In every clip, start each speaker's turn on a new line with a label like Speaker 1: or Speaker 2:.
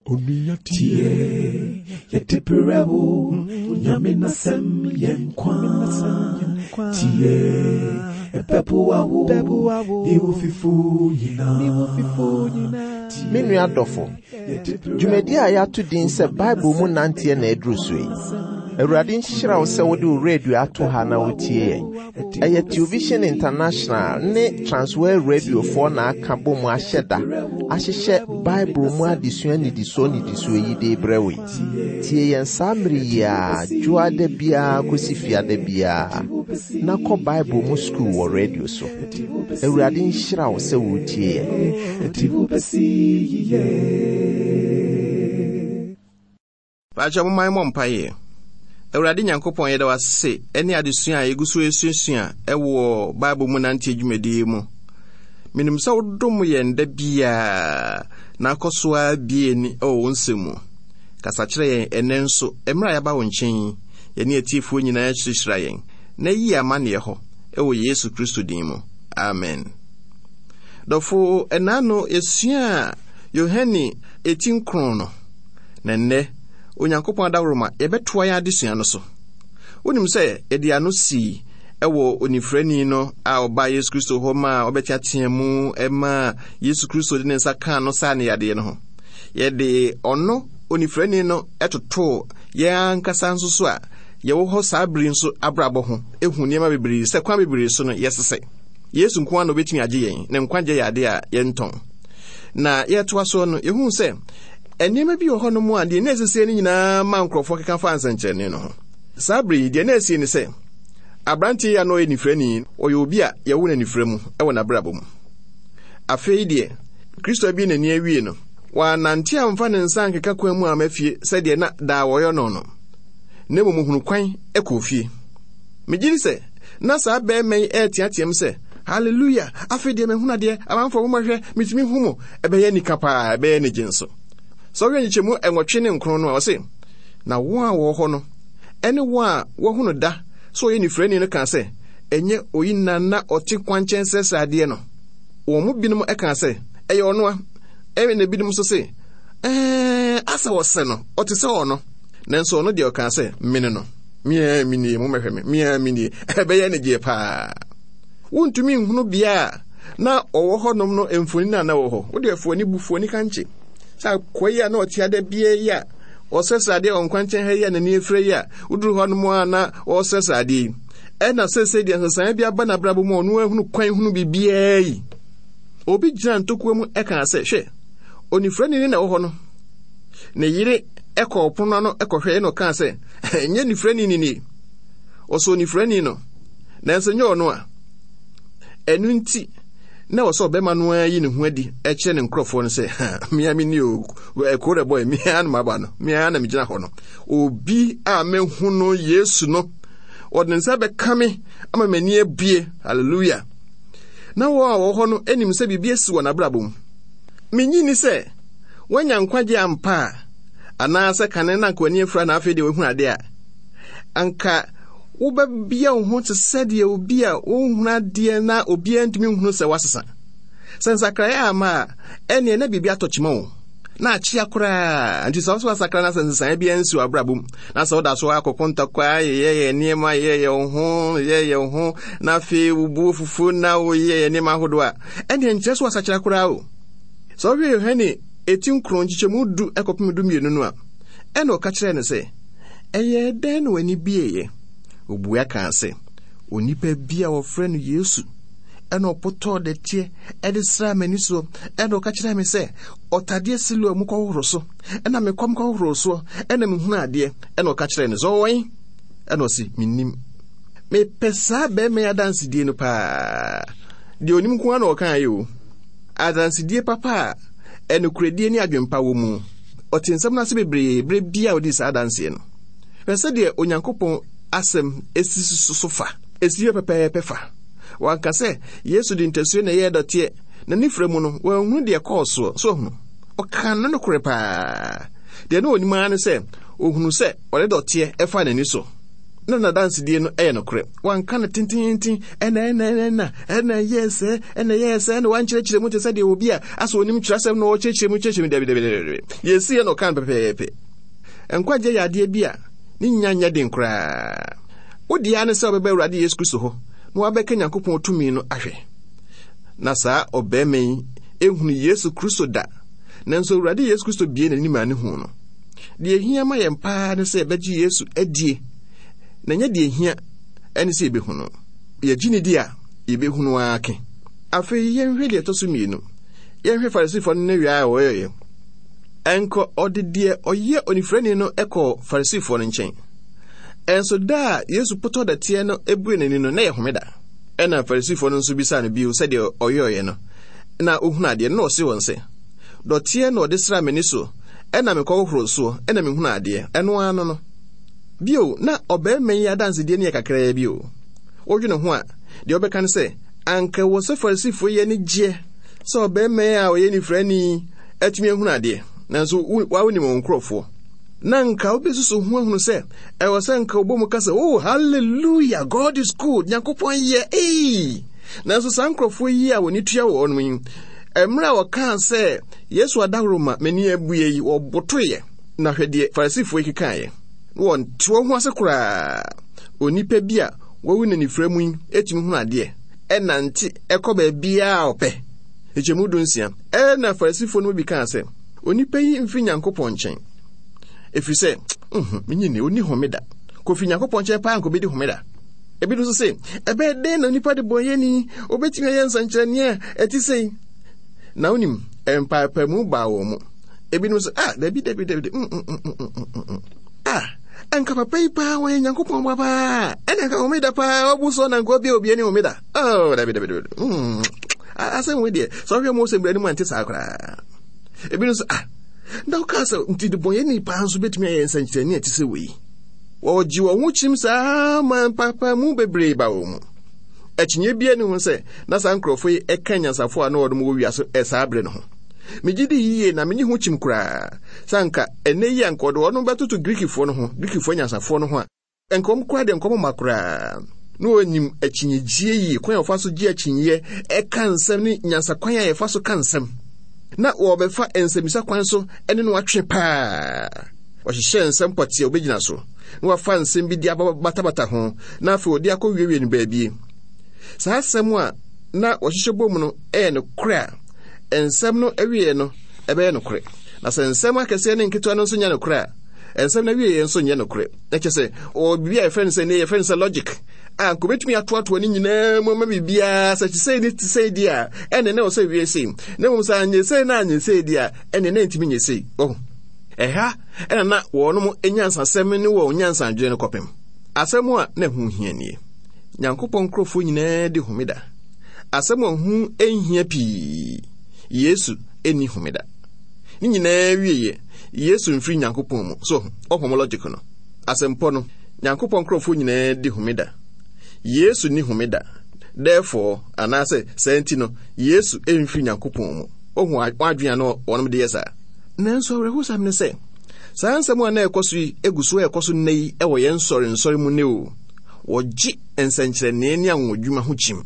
Speaker 1: Tie, yɛde berɛ wo, Nyame n'asɛm yɛ nkwa. Tie, ɛbɛboa wo, ne wo fifo nyinaa.
Speaker 2: Me nua dɔfo, dwumadi a yɛato din sɛ Bible mu nanteɛ na aduru so yi. Awurade nhyira wo sɛ wode wo radio ato ha na wotie yɛn. Ɛyɛ Television International ne Transworld Radiofoɔ na aka bɔ mu ahyɛ da ahyehyɛ Bible mu adesua nnidisoɔ nnidisoɔ yi de rebrɛ wo yi. Tie yɛn saa mmere yi ara, dwoada biara kɔsi fiada biara, na kɔ Bible mu sukuu wɔ radio so. Awurade nhyira wo sɛ woretie yɛn.
Speaker 3: Paakyɛw momma yɛmmɔ mpaeɛ. Awurade Nyankopɔn, yɛda wo ase ne adesua a yɛgu so resuasua wɔ Bible mu nanteɛ dwumadie yi mu. Menim sɛ wodom yɛn da biara na akɔ so ara bie ani wɔ wo nsɛm mu. Kasa kyerɛ yɛn ɛnnɛ nso, mmerɛ a yɛaba wo nkyɛn yi, yɛne atiefoɔ nyinaa hyirahyira yɛn na yi amanneɛ hɔ wɔ Yesu Kristo din mu. Amen. Dɔfo, ɛnaa no yɛsuaa Yohane eti nkron no. Na nnɛ, Onyankopɔn adaworoma, yɛbɛtoa yɛn adesua no so. Wonim sɛ yɛde ano sii wɔ onifirani no a ɔbaa Yesu Kristo hɔ maa ɔbɛteatea mu maa Yesu Kristo de ne nsa kaa no saa ne yadeɛ no ho. Yɛde ɔno onifirani no totoo yɛn ankasa nso so a yɛwɔ hɔ saa bere nso abrabɔ ho ehu nneɛma bebree sɛ kwan bebree so no yɛsesɛ. Yesu nko ara na obetumi agye yɛn, na nkwagye yɛ ade a yɛntɔn. Na yɛtoa so no, yɛhu sɛ Nneɛma bi wɔ hɔnom a deɛ na ɛsisie no nyinaa ma nkurɔfoɔ keka fa nsɛnkyerɛnne no ho. Saa bere yi, deɛ na ɛsie ne sɛ, aberanteɛ yi a na ɔyɛ nifirani, ɔyɛ obi a yɛwo no anifira mu wɔ n'abrabɔ mu. Afei deɛ, Kristo abue n'ani awie no, wannante amfa ne nsa ankeka kwan mu amma fie sɛdeɛ na daa wɔyɛ no no, na mmom ɔhunu kwan kɔɔ fie. Megye di sɛ na saa barima yi reteateam sɛ, Haleluya! Afei deɛ mahunu adeɛ, amanfoɔ mommɛhwɛ, metumi hu mo. Ɛbɛyɛ anika paa, ɛbɛyɛ anigye nso. Sɛ wohwɛ nkyekyɛmu nwɔtwe ne nkron no a, ɔse, Na wɔn a wɔwɔ hɔ no ne wɔn a wɔahu no da sɛ ɔyɛ nifirani no kaa sɛ, Ɛnyɛ oyi na na ɔte kwankyɛn srɛsrɛ adeɛ no? Wɔn mu binom kaa sɛ, Ɛyɛ ɔno a. Ɛnna ebinom nso se, Ɛɛ, asɛ ɔsɛ no, ɔte sɛ ɔno. Nanso ɔno deɛ ɔkaa sɛ, Mene no. Me ara menie, mommɛhwɛ me, me ara menie. Ɛbɛyɛ anigyeɛ paa. Wontumi nhunu bea a na ɔwɔ hɔnom no mfonini a na ɛwɔ hɔ. Wode afuo ani bu fuo ani kankye. Sɛ akoa yi a na ɔte ada bia yi a ɔsrɛsrɛ adeɛ wɔ nkwankyɛn ha yi a n'ani afira yi a woduru hɔnom a na ɔresrɛsrɛ adeɛ yi. Ɛna seesei deɛ nsesaeɛ bi aba n'abrabɔ mu a ɔno ahunu kwan hunu biribiara yi. Obi gyina ntokoa mu ɛkaa sɛ, hwɛ, onifirani ne na ɛwɔ hɔ no. Ne yere ɛkɔɔ pono ano ɛkɔhwɛ ɛna ɔkaa sɛ, ɛnyɛ nifirani ni nie. Ɔsɔ onifirani no, nanso nyɛ ɔno a. Ɛno nti, na ɛwɔ sɛ ɔbɛma no ara yi ne ho adi kyerɛ ne nkurɔfoɔ no sɛ, ha, mea me ni o, ɛkoro dɛ bɔe, mea na maba no, mea na megyina hɔ no. Obi a mehu no Yesu no, ɔde ne nsa bɛka me ama m'ani abue. Hallelujah. Na wɔn a wɔwɔ hɔ no anim sɛ biribi asi wɔn abrabɔ mu. Menyi ni sɛ wɔanya nkwagye ampa a, anaasɛ kane na anka w'ani afura na afei deɛ wahunu ade a, anka Wobɛbea wo ho te sɛ deɛ obi a ɔnhunu adeɛ na obiara ntumi nhunu sɛ woasesa. Sɛ nsakraeɛ amma a, ɛnneɛ na biribi atɔ kyima wo, na akyea koraa. Nti sɛ wo so asakra na sɛ nsesaeɛ biara nsi w'abrabɔ mu, na sɛ woda so akɔko ntɔkwa, yeyɛyɛ nneɛma, yeyɛyɛ wo ho, yeyɛyɛ wo ho, na afei wo bo fufuo na woyeyɛyɛ nneɛma ahodoɔ a, ɛnneɛ nkyerɛ sɛ woasakyera koraa o. Sɛ wohwɛ Yohane eti nkron nkyekyɛmu du kɔpem dumienu no a, ɛnna ɔka kyerɛɛ no sɛ, Ɛyɛɛ dɛn na w'ani bueeɛ? Ɔbua kaa sɛ, Onipa bi a wɔfrɛ no Yesu ɛna ɔpotɔɔ dɛteɛ ɛde sraa m'ani soɔ ɛna ɔka kyerɛɛ me sɛ ɔtadeɛ Siloa mu kɔhohoro so ɛna mekɔm kɔhohoro soɔ ɛna mehunu adeɛ ɛna ɔka kyerɛɛ no sɛ ɔwɔ he? Ɛna ɔse mennim. Mepɛ saa bɛrima yi adansedie no paa. Deɛ onim nko ara na ɔkaeɛ o. Adansedie papa a ɛnokorɛdie ne adwempa wɔ mu. Ɔtee nsɛm no ase bebree berɛ biara a ɔdii saa adanseɛ no. Hwɛ sɛdeɛ Onyankopɔn asɛm si so fa! Ɛsi hɔ pɛpɛɛpɛ fa. Wanka sɛ Yesu de ntasuo na ɛyɛɛ dɔteɛ, na ne frɛ mu no, wanhunu deɛ ɛkɔɔ soɔ. So ahunu? Ɔkaa no nokorɛ paa. Deɛ na ɔnim ara ne sɛ, ɔhunu sɛ ɔde dɔteɛ faa n'ani so. Na n'adansedie no yɛ nokorɛ. Wanka no tententen, ɛna ɛna ɛna ɛna ɛna ɛyɛɛ sɛ, ɛna ɛyɛɛ sɛ, ɛna wankyerɛkyerɛ mu te sɛ deɛ obi a asɛ onim twerɛsɛm na ɔkyerɛkyerɛ mu kyerɛkyerɛ mu. Dabi, dabi, dabi, dabi. Deɛ ɛsiiɛ na ɔka no pɛpɛɛpɛ. Nkwagyeɛ yɛ adeɛ bi a ne nya nyɛ den koraa. Wo deɛ ara ne sɛ wobɛba Awurade Yesu Kristo hɔ na wabɛka Nyankopɔn tumi no ahwɛ. Na saa ɔbarima yi ehunu Yesu Kristo da, nanso Awurade Yesu Kristo bie n'anim a ne hu no. Deɛ ehia ma yɛn paa ne sɛ yɛbɛgye Yesu adie, na ɛnyɛ deɛ ehia ɛne sɛ yɛbɛhu no. Yɛgye ne di a, yɛbɛhu no ara ke. Afei yɛnhwɛ deɛ ɛtɔ so mmienu. Yɛnhwɛ Farisifoɔ no ne wia a wɔyɛeɛ. Ɛnkɔ ɔde deɛ ɔyɛ onifirani no kɔɔ Farisifoɔ no nkyɛn. Ɛnso da a Yesu potɔ dɛteɛ no bue n'ani no, na ɛyɛ homeda. Ɛnna Farisifoɔ no nso bisaa no bio sɛdeɛ ɔyɔeɛ no, na ɔhunu adeɛ no, na ɔse wɔn sɛ, Dɔteɛ na ɔde sraa m'ani so, ɛnna mekɔhohoroo soɔ, ɛnna mehunu adeɛ. Ɛno ara no no. Bio, na ɔbarima yi adansedie no yɛ kakraa bi o. Wodwene ho a, deɛ wobɛka ne sɛ, anka ɛwɔ sɛ Farisifoɔ yi ani gyeɛ sɛ ɔbarima yi a ɔyɛ nifirani yi atumi ahunu adeɛ, nanso wa wonim wɔn nkurɔfoɔ. Na nka wobɛsusu ho ahunu sɛ ɛwɔ sɛ nka wobɔ mu ka sɛ, oh, hallelujah, God is good, Nyankopɔn yɛ, ei! Nanso saa nkurɔfoɔ yi a wɔn tua wɔn yi, mmerɛ a wɔkaa sɛ Yesu adahoro ma m'ani abue yi, wɔbotoeɛ. Na hwɛ deɛ Farisifoɔ yi kekaeɛ. Na wɔnte wɔn ho ase koraa. Onipa bi a wawu n'anifira mu yi tumi hunu adeɛ, ɛnante ɛkɔ baabiara a ɔpɛ. Nkyɛmu 16. Ɛnna Farisifoɔ no mu bi kaa sɛ, Onipa yi mfiri Nyankopɔn nkyɛn, ɛfiri sɛ, nhu, menye nni, ɔnni homeda. Kɔfiri Nyankopɔn nkyɛn paa nka ɔbɛdi homeda. Ebinom nso se, ɛbɛyɛ dɛn na onipa de bɔnyɛni obɛtumi ayɛ nsɛnkyerɛnneɛ a ɛte sei? Na wonim, mpaepaemu baa wɔn mu. Ebinom sɛ, ah, dabi, dabi, dabi, mm, mm, mm, mm, mm, mm. Ah, anka papa yi paa wɔyɛ Nyankopɔn ba paa, ɛna anka homeda paa, ɔbu so na nka ɔbia obi ani homeda. Oh, dabi, dabi, dabi, mm. Asɛm wei deɛ, sɛ ɔhwɛ Mose mmara no mu ante saa koraa. Ebinom sɛ, ah, na wokaa sɛ nti debɔnyɛni paa nso bɛtumi ayɛ nsɛnkyerɛnne a ɛte sɛ wei. Wɔgye wɔn ho kyim saa ma mpaapaemu bebree ba wɔn mu. Akyinnye biara nni ho sɛ na saa nkurɔfo yi ka anyansafo a na wɔnom wɔ wiase saa bere no ho. Migye di yiye na minnye ho kyim koraa sɛ anka ɛnnɛ yi anka wɔde wɔn bɛtoto Grikifo no ho, Grikifo anyansafo no ho a, anka wɔn koraa deɛ nkɔm mma koraa. Na wɔnim akyinnyegyeɛ yie, kwan a wɔfa so gye akyinnyeɛ, ɛka nsɛm ne nyansakwan a yɛfa so ka nsɛm. Na wɔbɛfa nsɛmmisa kwan so ne no atwe paa. Wɔhyehyɛɛ nsɛm pɔtee a wɔbɛgyina so, na wɔafa nsɛm bi de abatabata ho, na afei wɔde akɔwiewie no baabi. Saa asɛm a na wɔhyehyɛ bom no yɛ nokorɛ a, nsɛm no awieɛ no ɛbɛyɛ nokorɛ. Na sɛ nsɛm akɛseɛ ne nketewa no nso nyɛ nokorɛ a, nsɛm no awieɛ nso nyɛ nokorɛ. Na kyerɛ sɛ, wɔwɔ biribi a yɛfrɛ no sɛ, nnɛ yɛfrɛ no sɛ logic, a nka obɛtumi atoatoa ne nyinaa mu ama biribiara sɛ te sei ne te sei deɛ a, ɛne na ɛwɔ sɛ wie sei. Na mmom sɛ anyɛ sei na anyɛ sei deɛ a, ɛne na ɛntumi nyɛ sei. Wahu? Ɛha na na wɔnom nyansasɛm ne wɔn nyansadwene no kɔpem. Asɛm a na ɛho hia nie. Nyankopɔn nkurɔfoɔ nyinaa di homeda. Asɛm a ho nhia pii. Yesu nni homeda. Ne nyinaa wieɛ, Yesu mfiri Nyankopɔn mu. So, ɔhom logic no. Asɛmpɔ no, Nyankopɔn nkurɔfoɔ nyinaa di homeda. Yesu nni homeda. Therefore, anaasɛ saa nti no, Yesu mfiri Nyankopɔn mu. Ohu adwene a na wɔnom de yɛ saa. Nanso awerɛhosɛm ne sɛ, saa nsɛm a na ɛkɔ so yi gu so ɛkɔ so nnɛ yi wɔ yɛn nsɔrensɔre mu nnɛ o. Wɔgye nsɛnkyerɛnne ne anwonwadwuma ho kyim.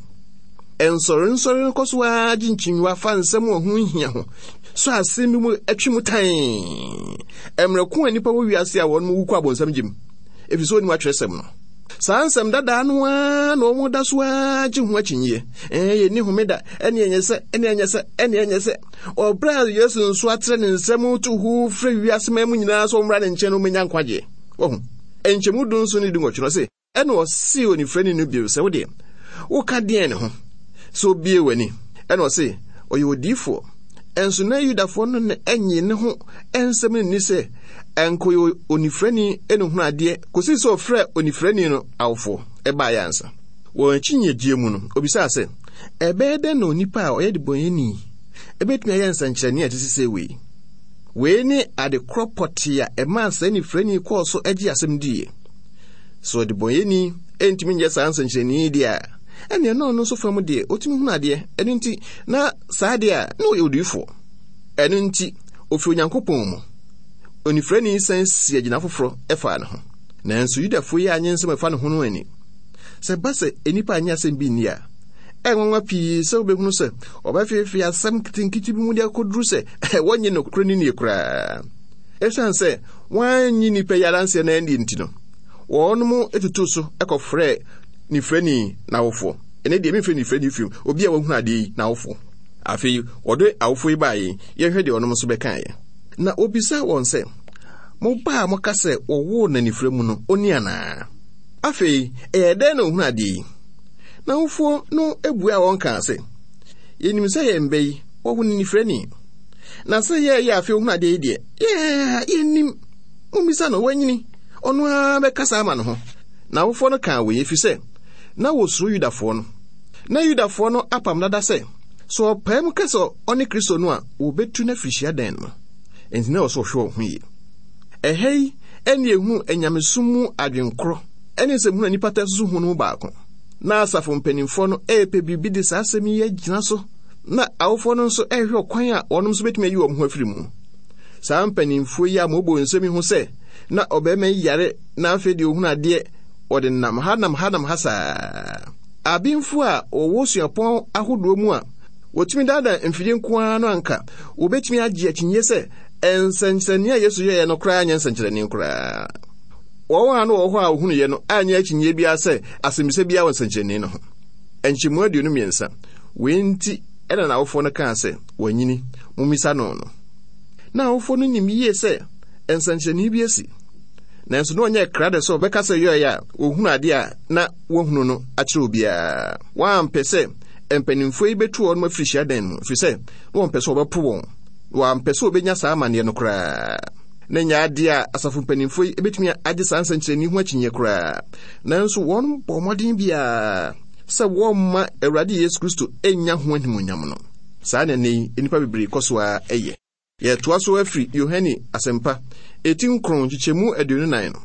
Speaker 3: Nsɔrensɔre no kɔ so ara gye nkyinyiwa fa nsɛm a ɛho nhia ho, sɔ asɛm bi mu twe mu tann. Mmerɛ ko a nnipa wɔ wiase a wɔn wu kɔ abonsam gyem, efisɛ wɔnnim atwerɛsɛm no. Saa nsɛm dadaa no ara na wɔn da so ara gye ho akyinnyeɛ. Ɛɛ, yɛnni homeda, ɛne ɛnyɛ sɛ, ɛne ɛnyɛ sɛ, ɛne ɛnyɛ sɛ. Wɔ bere a Yesu nso atrɛ ne nsam to hoo frɛ wiase man mu nyinaa sɛ wɔmmra ne nkyɛn na wɔmmenya nkwagye. Wahu? Nkyɛmu 17 ne 18 no, ɔse, Ɛnna ɔsee onifirani no bio sɛ, Wo deɛ, woka deɛn ne ho sɛ obiee w'ani? Ɛnna ɔse, Ɔyɛ odiyifoɔ. Ɛnso na Yudafoɔ no na ɛnye ne ho nsɛm no nni sɛ anka ɔyɛ onifirani na ohunu adeɛ kɔsii sɛ ɔfrɛɛ onifirani no awofoɔ baeɛ ansa. Wɔn akyinnyegyeɛ mu no, ɔbisaa sɛ, Ɛbɛyɛ dɛn na onipa a ɔyɛ debɔneyɛni bɛtumi ayɛ nsɛnkyerɛnne a ɛte sɛ wei? Wei ne ade korɔ pɔtee a ɛmaa saa nifirani kɔɔ so gyee asɛm diiɛ. Sɛ ɔdebɔneyɛni ntumi nyɛ saa nsɛnkyerɛnne yi deɛ a, ɛnneɛ na ɔno nso fam deɛ ɔtumi hunu adeɛ. Ɛno nti, na saa deɛ a, na ɔyɛ odiyifoɔ. Ɛno nti, ɔfiri Onyankopɔn mu. Onifirani san si agyina foforɔ faa ne ho. Nanso Yudafoɔ yi annye nsɛm a ɛfa ne ho no anni. Sɛ ɛba sɛ nnipa annye asɛm bi nni a, ɛyɛ nwanwa pii sɛ wobɛhunu sɛ wɔbɛfeefee asɛm nketenkete bi mu de akɔduru sɛ wɔnnye nokorɛ no nnie koraa. Ɛsiane sɛ wɔannye nnipa yi adanseɛ no annie nti no, wɔnom tutuu so kɔfrɛɛ nifirani n'awofoɔ. Ɛnɛ deɛ memfrɛ nifirani firim, obi a wahunu adeɛ yi n'awofoɔ. Afei wɔde awofoɔ yi baeɛ yi, yɛnhwɛ deɛ wɔnom nso bɛkaeɛ. Na wɔbisaa wɔn sɛ, Mo ba a moka sɛ wɔwoo no anifira mu no, ɔni anaa? Afei ɛyɛɛ dɛn na ɔhunu adeɛ yi? N'awofoɔ no buaa wɔn kaa sɛ, Yɛnim sɛ yɛn ba yi, wɔwo no nifirani. Na sɛ yɛreyɛ afei ɔhunu adeɛ yi deɛ, yɛn yɛnnim. Mommisa no, wanyini. Ɔno ara bɛkasa ama ne ho. N'awofoɔ no kaa wei ɛfiri sɛ na wɔsuro Yudafoɔ no. Na Yudafoɔ no apam dada sɛ, sɛ ɔpae mu ka sɛ ɔne Kristo no a, wɔbɛtu no afiri hyiadan no mu. Enti na ɛwɔ sɛ ɔhwɛ wɔn ho yie. Ɛha yi ɛne ehunu anyamesom mu adwenkorɔ ne nsɛmhunu a nnipa taa susu ho no mu baako. Na asafo mpanimfoɔ no repɛ biribi de saa asɛm yi agyina so, na awofoɔ no nso rehwɛ ɔkwan a wɔnom nso bɛtumi ayi wɔn ho afiri mu. Saa mpanimfoɔ yi a wɔbɔ nsɛm yi ho sɛ na ɔbarima yi yare na afei deɛ ɔhunu adeɛ, wɔde nam ha nam ha nam ha saa. Abenfoɔ a wɔwɔ suapɔn ahodoɔ mu a wɔtumi daadaa mfidie nko ara no anka wɔbɛtumi agye akyinnye sɛ nsɛnkyerɛnne a Yesu yɛeɛ no koraa nyɛ nsɛnkyerɛnne koraa. Wɔn a na wɔwɔ hɔ a wɔhunuiɛ no anyɛ akyinnye biara sɛ asɛmmisa biara wɔ nsɛnkyerɛnne no ho. Nkyɛmu 23, Wei nti na n'awofoɔ no kaa sɛ, Wanyini, mommisa no no. Na awofoɔ no nim yie sɛ nsɛnkyerɛnne bi asi. Nanso na ɔnyɛ krado sɛ ɔbɛka sɛ yɔeɛ a wɔhunu adeɛ a na wɔahunu no akyerɛ obiara. Wɔampɛ sɛ mpanimfoɔ yi bɛtu wɔn afiri hyiadan mu, ɛfiri sɛ na wɔmpɛ sɛ wɔbɛpo wɔn. Na wɔampɛ sɛ wɔbɛnya saa amanneɛ no koraa. Na ɛnyɛ adeɛ a asafo mpanimfoɔ yi bɛtumi agye saa nsɛnkyerɛnne ho akyinnyeɛ koraa. Nanso wɔn bɔɔ mmɔden biara sɛ wɔmma Awurade Yesu Kristo nnya ho animuonyam no. Saa na ɛnnɛ yi nnipa bebree kɔ so ara yɛ. Yɛtoa so afiri Yohane Asɛmpa, eti nkron nkyekyɛmu 24 no.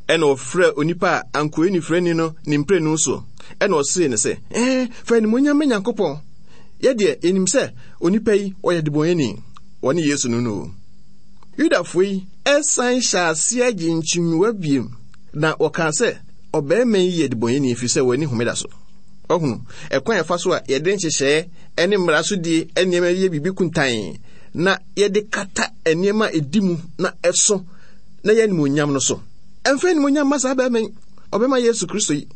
Speaker 3: Ɛna ɔfrɛɛ onipa a anka ɔyɛ nifirani no ne mprenu so, ɛna ɔsee no sɛ, Ɛɛ, fa animuonyam ma Nyankopɔn. Yɛ deɛ, yɛnim sɛ onipa yi, ɔyɛ debɔneyɛni. Wɔne Yesu no no o. Yudafoɔ yi san hyɛɛ aseɛ gyee nkyimiwa biem, na wɔkaa sɛ, Ɔbarima yi yɛ debɔneyɛni ɛfiri sɛ wanni homeda so. Wahunu ɛkwan a ɛfa so a yɛde nhyehyɛeɛ ne mmara so die nneɛma yɛ biribi kuntann na yɛde kata nneɛma a ɛdi mu na ɛso na yɛ animuonyam no so. Ɛmfa animuonyam mma saa barima yi, ɔbɛma Yesu Kristo yi,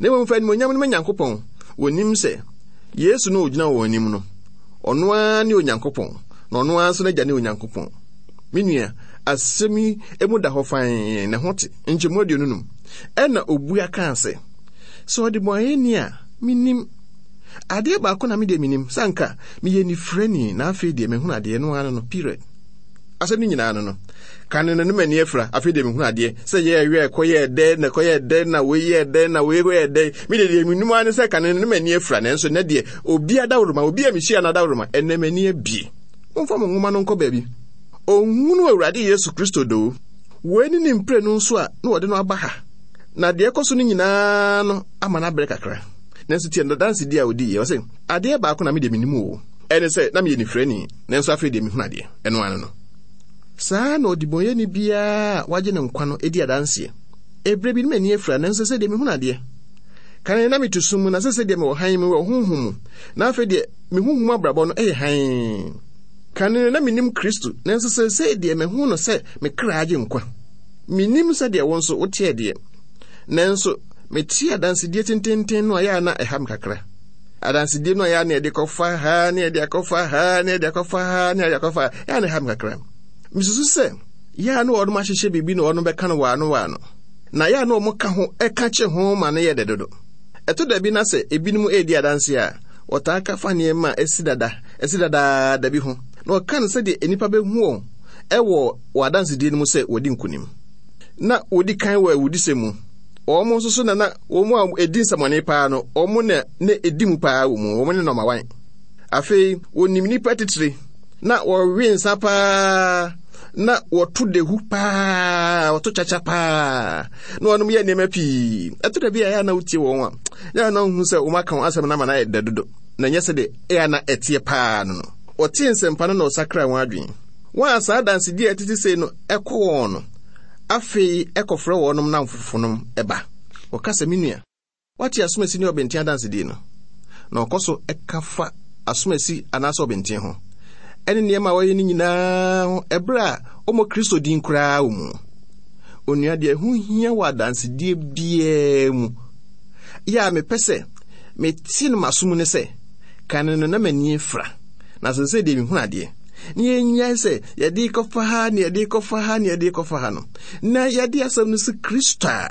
Speaker 3: na mmom fa animuonyam no ma Nyankopɔn. Wɔnim sɛ Yesu no a ɔgyina wɔn anim no, ɔno ara ne Onyankopɔn, na ɔno ara nso n'agya ne Onyankopɔn. Me nua, asɛm yi mu da hɔ fann na ɛho te. Nkyɛmu 25. Ɛnna obua kaa sɛ, Sɛ ɔdebɔneyɛni a, minnim. Adeɛ baako na me deɛ menim, sɛ anka meyɛ nifirani, na afei deɛ mahunu adeɛ, ɛno ara no no, period. Asɛm no nyinaa no no. Kane no, no m'ani afira, afei deɛ mehunu adeɛ. Sɛ yɛɛ wɛ, kɔyɛɛ dɛn, na kɔyɛɛ dɛn, na wei yɛɛ dɛn, na wei yɛɛ dɛn. Me deɛ deɛ menim ara ne sɛ kane no, no m'ani afira, nanso nnɛ deɛ, obi adaworoma, obi a mehyia no adaworoma, ɛnnɛ m'ani abie. Momfa mo nwoma no nkɔ baabi. Ɔnhunu Awurade Yesu Kristo doo. Wei ne ne mprenu nso a na wɔde no aba ha. Na deɛ ɛkɔ so no nyinaa no ama no abrɛ kakra. Nanso tie n'adansedi a odiiɛ. Ɔse, Adeɛ baako na me deɛ menim o. Ɛne sɛ, na meyɛ nifirani, nanso afei deɛ mehunu adeɛ. Ɛno ara no. Saa na ɔdebɔneyɛni biara a wɔagye no nkwa no di adanseɛ. Ɛberɛ bi no m'ani afira, nanso seesei deɛ mehunu adeɛ. Kane na mete sum mu, na seesei deɛ mewɔ hann mu, wɔ honhom mu. Na afei deɛ me honhom mu abrabɔ no yɛ hann. Kane no na mennim Kristo, nanso seesei deɛ mahu no sɛ me kra agye nkwa. Mennim sɛdeɛ wo nso woteɛ deɛ, nanso mete adansedie tententen no a ɛyɛ a na ɛha me kakra. Adansedie no a ɛyɛ a na yɛde kɔfa ha, na yɛde akɔfa ha, na yɛde akɔfa ha, na yɛde akɔfa ha, ɛyɛ a na ɛha me kakra. Mesusu sɛ yɛ a na wɔnom ahyehyɛ biribi na wɔnom bɛka no waano waano, na yɛ a na wɔn ka ho ɛka kye ho ma no yɛ dɛ dodo. Ɛtɔ da bi na sɛ ebinom redi adanse a, wɔtaa ka fa nneɛma a asi dada, asi dadaada bi ho, na wɔka no sɛdeɛ nnipa bɛhu wɔn wɔ wɔn adansedie no mu sɛ wɔadi nkonim. Na wɔdi kan wɔ awudisɛm mu. Wɔn nso so na na wɔn a ɛdi nsɛmɔne paa no, wɔn na na ɛdi mu paa wɔ mu, wɔn ne nɔma wan. Afei, wɔnim nnipa titire, na wɔwe nsa paa, na wɔto dehu paa, wɔto kyakya paa, na wɔnom yɛ nneɛma pii. Ɛto da bi a ɛyɛ a na wotie wɔn a, ɛyɛ a na wohu sɛ wɔn aka wɔn asɛm no ama no ayɛ dɛ dodo, na ɛnyɛ sɛdeɛ ɛyɛ a na ɛteɛ paa no no. Wɔtee nsɛmpa no na wɔsakraa wɔn adwene. Wɔn a saa adansedi a ɛtete sei no kɔ wɔn no, Afei ɛkɔfrɛ wɔnom nnamfofonom ba. Wɔka sɛ, Me nua, woate asomasi ne ɔbenten adansedie no? Na ɔkɔ so ka fa asomasi anaasɛ ɔbenten ho, ɛne nneɛma a wɔyɛ no nyinaa ho ɛberɛ a ɔmmɔ Kristo din koraa wɔ mu. Onua, deɛ ɛho hia wɔ adansedie biara mu yɛ a mepɛ sɛ mete no m'aso mu ne sɛ, kane no na m'ani afira, na seesei deɛ mehunu adeɛ. Na yɛnnyae sɛ yɛde rekɔfa ha ne yɛde rekɔfa ha ne yɛde rekɔfa ha no, na yɛde asɛm no si Kristo a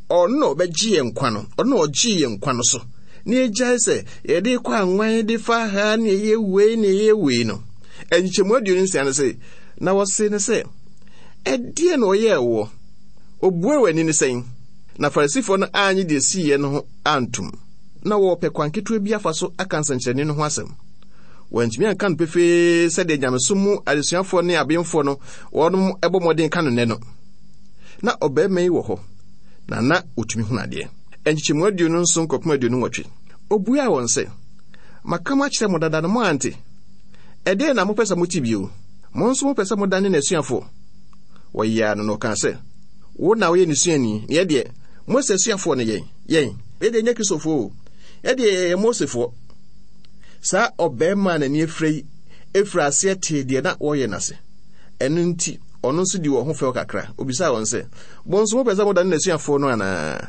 Speaker 3: ɔno na ɔbɛgye yɛn nkwa no, ɔno na ɔgyee yɛn nkwa no so, na yɛgyae sɛ yɛde rekɔ anwan de fa ha ne yɛyɛ wei ne yɛyɛ wei no. Nkyekyɛmu 26 no se, na wɔse no sɛ, Ɛdeɛn na ɔyɛɛ woɔ? Obuee w'ani no sɛn? Na Farisifoɔ no annye deɛ ɛsiiɛ no ho antom. Na wɔrepɛ kwan ketewa bi afa so aka nsɛnkyerɛnne no ho asɛm. Wɔantumi anka no pefee sɛdeɛ nyamesom mu adesuafoɔ ne abenfoɔ no wɔnom bɔ mmɔden ka no nnɛ no. Na ɔbarima yi wɔ hɔ, na na ɔtumi hunu adeɛ. Nkyekyɛmu 27 kɔpem 28. Ɔbuaa wɔn sɛ, Maka makyerɛ mo dada no moante? Ɛdeɛn na mopɛ sɛ mote bio? Mo nso mopɛ sɛ modane n'asuafoɔ? Wɔyeaa no na ɔkaa sɛ, Wo na woyɛ ne suani, na yɛn deɛ, Mose asuafoɔ ne yɛn. Yɛn, yɛn deɛ nyɛ Kristofoɔ o, yɛn deɛ yɛyɛ Mosefoɔ. Saa ɔbarima a n'ani afira yi firii aseɛ tee deɛ na wɔreyɛ no ase. Ɛno nti, ɔno nso dii wɔn ho fɛw kakra. Ɔbisaa wɔn sɛ, Mo nso mopɛ sɛ modane n'asuafoɔ no anaa?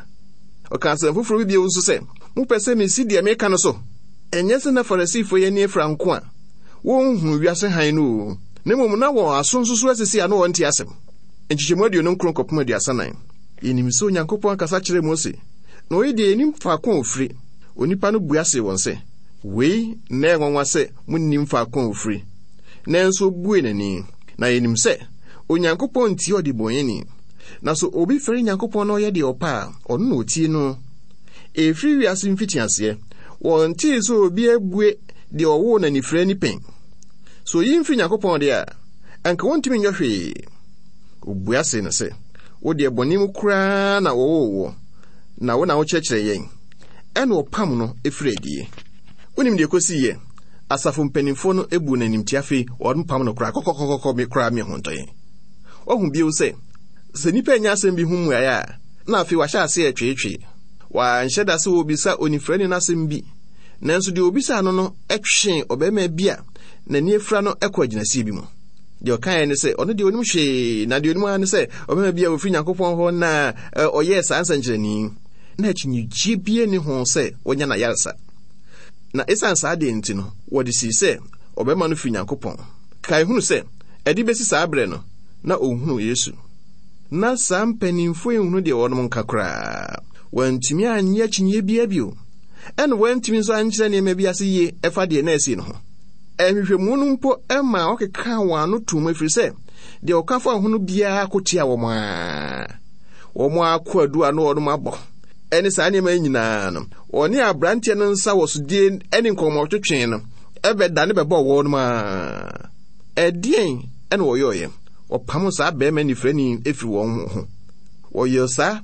Speaker 3: Ɔkaa asɛm foforɔ bi bio nso sɛ, Mopɛ sɛ mesi deɛ meka no so? Ɛnyɛ sɛ na Farisifo yi ani afira nko a wonhunu wiase hann no oo, na mmom na wɔn aso nso so asisi a na wɔnte asɛm. Nkyekyɛmu 29 kɔpem 34. Yenim sɛ Onyankopɔn kasa kyerɛɛ Mose, na oyi deɛ yennim faako a ofiri. Onipa no bua see wɔn sɛ, Wei na ɛyɛ nwanwa sɛ munnim faako a ofiri, nanso obuee n'ani. Na yenim sɛ Onyankopɔn ntie ɔdebɔneyɛni, na sɛ obi fɛre Nyankopɔn na ɔyɛ deɛ ɔpɛ a, ɔno na otie no. Ɛfiri wiase mfitiaseɛ, wɔntee sɛ obi abue deɛ ɔwoo no anifira ani pɛn. Sɛ oyi mfiri Nyankopɔn deɛ a, anka wɔntumi nyɛ hwee. Obua see no sɛ, Wo deɛ bɔne mu koraa na wɔwoo woɔ, na wo na wokyerɛkyerɛ yɛn. Ɛnna ɔpam no firii adie. Wonim deɛ ɛkɔsiiɛ? Asafo mpanimfoɔ no buu no animtia afei wɔpam no koraa kɔkɔkɔkɔkɔ me koraa me ho ntɔ yɛn. Wahu bio sɛ, sɛ nnipa annya asɛm bi ho mmuaeɛ a, na afei wahyɛ aseɛ retweetwee. Wanhyɛ da sɛ ɔrebisa onifirani no asɛm bi, nanso deɛ ɔbisaa no no twee ɔbarima bi a n'ani afira no kɔɔ agyinasie bi mu. Deɛ ɔkaeɛ ne sɛ, ɔno deɛ ɔnim hwee, na deɛ ɔnim ara ne sɛ ɔbarima bi a ɔfiri Nyankopɔn hɔ na ɔyɛɛ saa nsɛnkyerɛnne yi. Na akyinnyegyeɛ biara nni ho sɛ wanya n'ayaresa. Na esiane saa adeɛ nti no, wɔde sii sɛ ɔbarima no firi Nyankopɔn. Kae hunu sɛ, ɛde bɛsi saa berɛ no, na ɔnhunuu Yesu. Ná saa mpanimfoɔ yi nhunu deɛ wɔnom nka koraa. Wɔantumi annye akyinnyeɛ biara bio, ɛna wɔantumi nso ankyerɛ nneɛma bi ase yie ɛfa deɛ na asi no ho. Nhwehwɛmu no mpo maa wɔkekaa wɔn ano toom ɛfiri sɛ deɛ wɔka faa ho no biara ko tia wɔn ara. Wɔn akwadu a na wɔnom abɔ ne saa nneɛma yi nyinaa no, wɔne aberanteɛ no nsa wɔ sodie ne nkɔmmɔtwetwe no ɛbɛdane bɛbɔɔ wɔnom ara. Ɛdeɛn na wɔyɔeɛ? Wɔpamoo saa barima nifirani firi wɔn ho. Wɔyɛɛ saa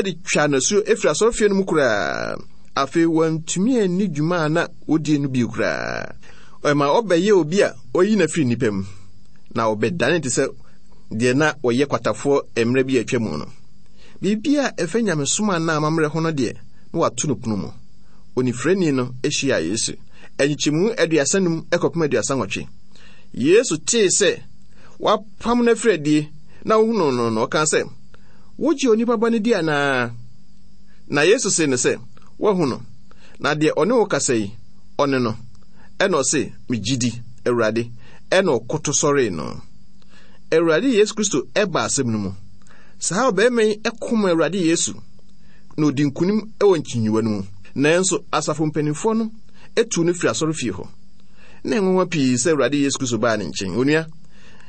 Speaker 3: de twaa no asuo firi asɔrefie no mu koraa. Afei wɔantumi anni dwuma a na wɔdie no bio koraa. Ɛma ɔbɛyɛɛ obi a wɔayi no afiri nnipa mu, na ɔbɛdane te sɛ deɛ na wɔyɛ kwatafoɔ mmerɛ bi a atwa mu no. Biribi a ɛfa nyamesom anaa amammerɛ ho no deɛ, na wɔato no pono mu. Onifirani no hyiaa Yesu. Nkyekyɛmu 35 kɔpem 38. Yesu tee sɛ wɔapam no afiri adie na ɔhunuu no no, ɔkaa sɛ, Wogye onipa ba no di anaa? Na Yesu see no sɛ, Woahu no, na deɛ ɔne wo kasa yi, ɔne no. Ɛna ɔse, Megye di, Awurade. Ɛna ɔkoto sɔree no. Awurade Yesu Kristo ba asɛm no mu. Saa ɔbarima yi ko ma Awurade Yesu, na ɔdi nkonim wɔ nkyinyiwa no mu. Nanso asafo mpanimfoɔ no tuu no firi asɔrefie hɔ. Na ɛnwanwa pii sɛ Awurade Yesu Kristo baa ne nkyɛn. Onua,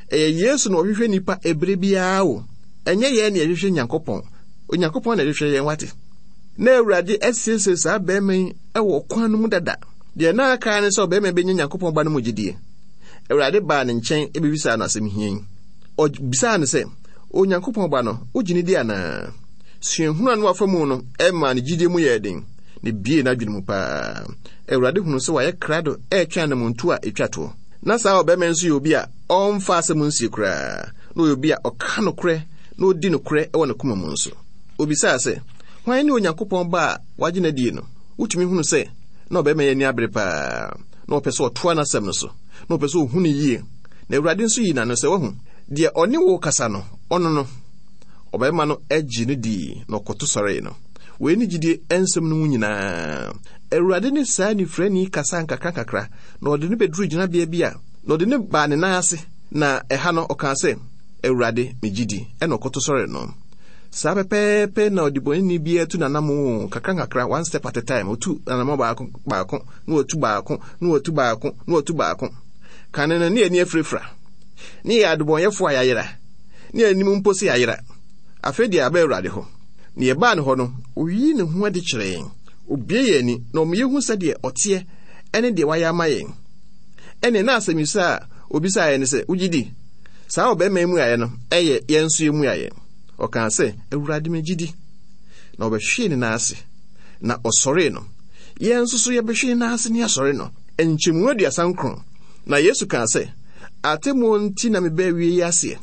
Speaker 3: ɛyɛ Yesu na ɔhwehwɛ nnipa ɛberɛ biara o. Ɛnyɛ yɛn na yɛhwehwɛ Nyankopɔn. Onyankopɔn na ɛhwehwɛ yɛn, wate. Na Awurade asiesie saa barima yi wɔ ɔkwan no mu dada. Deɛ na aka ara ne sɛ ɔbarima bɛnya Nyankopɔn Ba no mu gyidie. Awurade baa ne nkyɛn bɛbisaa no asɛm hia yi. Ɔbisaa no sɛ, Onyankopɔn Ba no, wogye no di anaa? Suahunu a na wafa mu no maa ne gyidie mu yɛɛ den, na ebiee n'adwene mu paa. Awurade hunuu sɛ wayɛ krado retwɛn anammɔntuo a ɛtwa toɔ. Na saa ɔbarima yi nso yɛ obi a ɔmfa asɛm nsie koraa. Na ɔyɛ obi a ɔka nokorɛ. na ɔdi nokorɛ wɔ ne koma mu nso. Obisaa sɛ, Hwan ne Onyankopɔn Ba a wagye no adie no? Wotumi hunu sɛ na ɔbarima yi ani abere paa. Na ɔpɛ sɛ ɔtoa n'asɛm no so. Na ɔpɛ sɛ ɔhu no yie. Na Awurade nso yii n'ano sɛ, Wahu, deɛ ɔne wo rekasa no, ɔno no. Ɔbarima no gyee no dii na ɔkoto sɔree no. Wei ne gyidie nsɛm no mu nyinaa. Awurade ne saa nifirani kasaa nkakrankakra na ɔde no bɛduruu gyinabea bi a na ɔde no baa ne nan ase, na ɛha no ɔkaa sɛ, Awurade, megye di, ɛna ɔkoto sɔree no. Saa pɛpɛɛpɛ na ɔdebɔneyɛni biara tu n'anammɔn nkakrankakra, one step at a time, ɔtu anammɔn baako baako, na watu baako, na watu baako, na watu baako. Kane no, ne yɛn ani afirafira. Ne yɛyɛ adebɔnyɛfoɔ a yɛayera. Ne yɛn anim mpo sɛ yɛayera. Afei deɛ yɛaba Awurade hɔ. Na yɛbaa ne hɔ no, ɔyii ne ho adi kyerɛɛ yɛn. Ɔbue yɛn ani, na ɔma yɛhu sɛdeɛ ɔteɛ ne deɛ wayɛ ama yɛn. Ɛnneɛ na asɛmmisa a ɔbisaeɛ ne sɛ, Wogye di? Saa ɔbarima yi mmuaeɛ no yɛ yɛn nso yɛn mmuaeɛ. Ɔkaa sɛ, Awurade, megye di. Na ɔbɛhwee ne nan ase, na ɔsɔree no. Yɛn nso so yɛbɛhwe ne nan ase ne yɛasɔre no. Nkyɛmu 39. Na Yesu kaa sɛ, Atemmuo nti na mebaa wie yi aseɛ,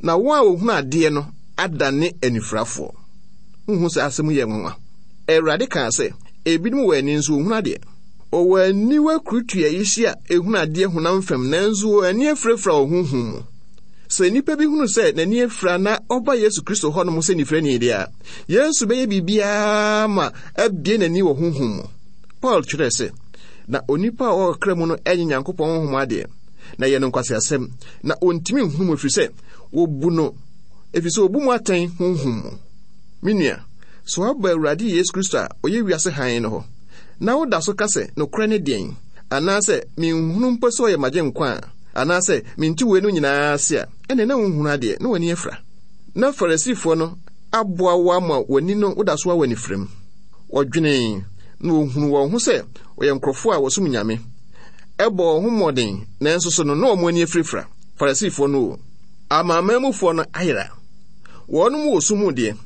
Speaker 3: na wɔn a wɔhunu adeɛ no adane anifirafoɔ. Wonhu sɛ asɛm yi yɛ nwanwa? Awurade kaa sɛ, Ebinom wɔ ani nso wɔnhunu adeɛ. Wɔwɔ aniwa kurutua yi si a ehunu adeɛ honam fam, nanso wɔn ani afirafira wɔ honhom mu. Sɛ nnipa bi hunu sɛ n'ani afira na ɔba Yesu Kristo hɔnom sɛ nifirani deɛ a, Yesu bɛyɛ biribiara ma abue n'ani wɔ honhom mu. Paul twerɛɛ sɛ, Na onipa a ɔwɔ ɔkra mu no nye Nyankopɔn honhom adeɛ, na ɛyɛ no nkwaseasɛm, na ɔntumi nhunu mu, ɛfiri sɛ wɔbu no, ɛfiri sɛ wɔbu mu atɛn honhom mu. Me nua, sɛ woaba Awurade Yesu Kristo a ɔyɛ wiase hann no hɔ, na woda so ka sɛ, Nokorɛ ne deɛn? Anaasɛ, Menhunu mpo sɛ ɔyɛ m'Agyenkwa a, anaasɛ, Mente weinom nyinaa ase a, ɛnneɛ na wonhunu adeɛ, na w'ani afira. Na Farisifoɔ no aboa wo ama w'ani no woda so ara wɔ anifirem. Wɔdwenee, na wɔhunuu wɔn ho sɛ wɔyɛ nkurɔfoɔ a wɔsom Nyame, ɛbɔɔ wɔn ho mmɔden, nanso so no na wɔn ani afirafira. Farisifoɔ no o, Amanamanmufoɔ no ayera. Wɔnom wɔ sum mu deɛ,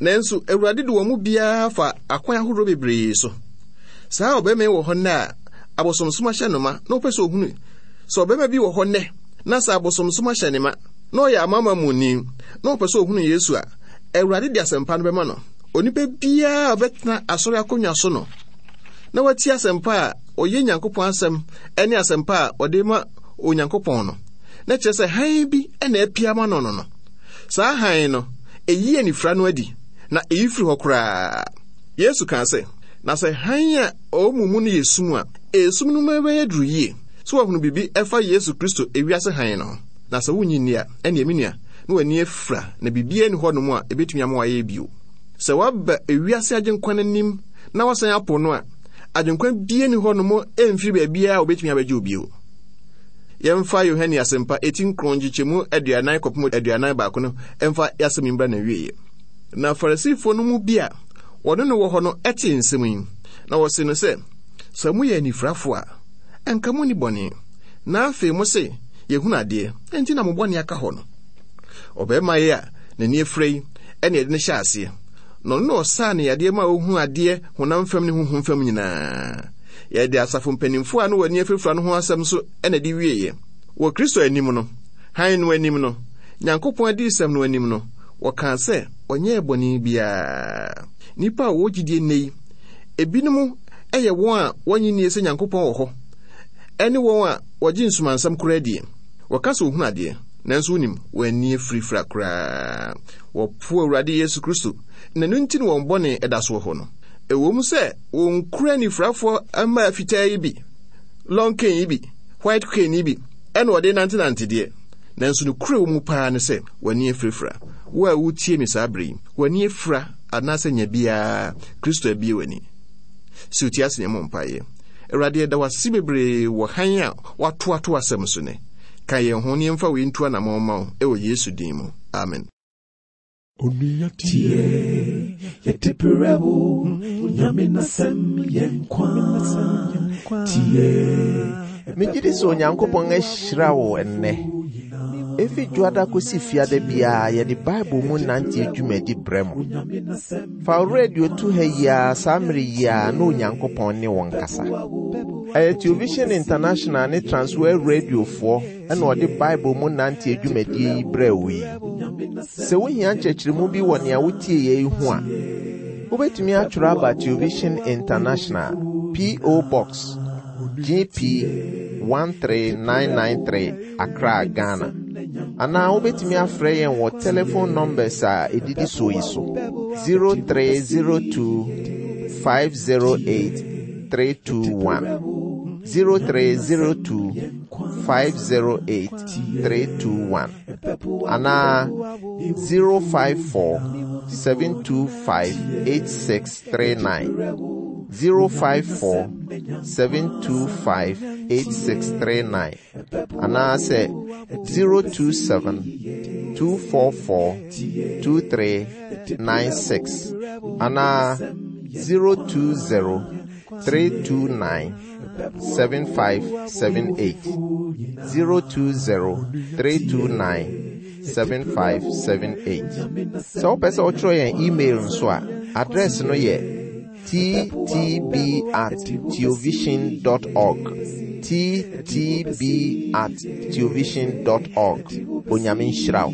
Speaker 3: nanso Awurade de wɔn mu biara fa akwan ahoroɔ bebree so. Saa ɔbarima yi wɔ hɔ nnɛ a abosomsom ahyɛ no ma na ɔpɛ sɛ ɔhunu sɛ ɔbarima bi wɔ hɔ nnɛ na sɛ abosomsom ahyɛ ne ma na ɔyɛ amanamanmuni na ɔpɛ sɛ ɔhunu Yesu a, Awurade de asɛmpa no bɛma no. Onipa biara a ɔbɛtena asɔre akonnwa so no na watie asɛmpa a ɔyɛ Nyankopɔn asɛm ne asɛmpa a ɔde ma Onyankopɔn no, na kyerɛ sɛ hann bi na apia ama no no no. Saa hann no, eyi anifira no adi, na eyi firi hɔ koraa. Yesu kaa sɛ, Na sɛ hann a ɔwɔ mo mu no yɛ sum a, esum no mu bɛyɛ duru yie. So woahunu biribi ɛfa Yesu Kristo ewiase hann no ho? Na sɛ wonnye nni a, ɛnneɛ me nua, na w'ani afira, na biribiara nni hɔnom a ebetumi ama woayɛ bio. Sɛ woaba ewiase Agyenkwa no anim na woasan apo no a, Agyenkwa biara nni hɔnom mfiri baabiara a obetumi abɛgye wo bio. Yɛmfa Yohane Asɛmpa eti nkron nkyekyɛmu 40 kɔpem 41 no mfa y'asɛm yi mbra n'awieɛ. Na Farisifoɔ no mu bi a wɔne no wɔ hɔ no tee nsɛm yi, na wɔsee no sɛ, Sɛ moyɛ anifirafoɔ a, anka monni bɔne. Na afei mose, Yɛhunu adeɛ, enti na mo bɔne aka hɔ no. Ɔbarima yi a n'ani afira yi na yɛde no hyɛɛ aseɛ, na ɔno na ɔsaa no yadeɛ ma ɔhunu adeɛ honam fam ne honhom fam nyinaa. Yɛde asafo mpanimfoɔ a na wɔn ani afirafira no ho asɛm nso na ɛde wieeɛ. Wɔ Kristo anim no, hann no anim no, Nyankopɔn adiyisɛm no anim no, wɔkaa sɛ ɔnyɛɛ bɔne biara. Nnipa a wɔwɔ gyidie nnɛ yi, ebinom yɛ wɔn a wɔnnye nnie sɛ Nyankopɔn wɔ hɔ, ɛne wɔn a wɔgye nsumansɛm koraa die. Wɔka sɛ wɔhunu adeɛ, nanso wonim, wɔn ani afirafira koraa. Wɔpo Awurade Yesu Kristo, na ɛno nti na wɔn bɔne da so wɔ hɔ no. Ɛwom sɛ wɔnkura anifirafoɔ mmaa fitaa yi bi, long cane yi bi, white cane yi bi, ɛna wɔde nantenante deɛ, nanso nokorɛ wɔ mu paa ne sɛ w'ani afirafira. Wo a wotie me saa berɛ yi, w'ani afira anaasɛ nya biara, Kristo abue w'ani. Si wo ti ase na yɛmmɔ mpaeɛ. Awurade, yɛda wo ase bebree wɔ hann a woato ato asɛm so nnɛ. Ka yɛn ho na yɛmfa wei ntu anammɔn mma wo, ɛwɔ Yesu din mu. Amen.
Speaker 1: Onua tie, yɛde brɛ wo, Nyame n'asɛm yɛ nkwa. Tie.
Speaker 2: Megye di sɛ Onyankopɔn ahyira wo ɛnnɛ. Efi Dwoada kosi Fiada biara yɛde Bible mu nante dwumadi brɛ mo. Fa wo radio to ha yi ara saa mmere yi ara na Onyankopɔn ne wo nkasa. Ɛyɛ Television International ne Transworld Radiofoɔ na ɔde Bible mu nante dwumadie yi brɛɛ wo yi. Sɛ wohia nkyerɛkyerɛmu bi wɔ nea wotie yɛ yi ho a, wobɛtumi atwerɛ aba Television International, P.O. Box, GP 13993, Accra, Ghana. Anaa wobɛtumi afrɛ yɛn wɔ telephone numbers a ɛdidi soɔ yi so: 0302 508 321, 0302 508 321, anaa 054 725 8639, 054 725 8639, anaasɛ 027 244 2396, anaa 020 329 7578, 020 329 7578. Sɛ wopɛ sɛ wotwerɛ yɛn email nso a, address no yɛ ttb@teovision.org, ttb@teovision.org. Onyame nhyira wo.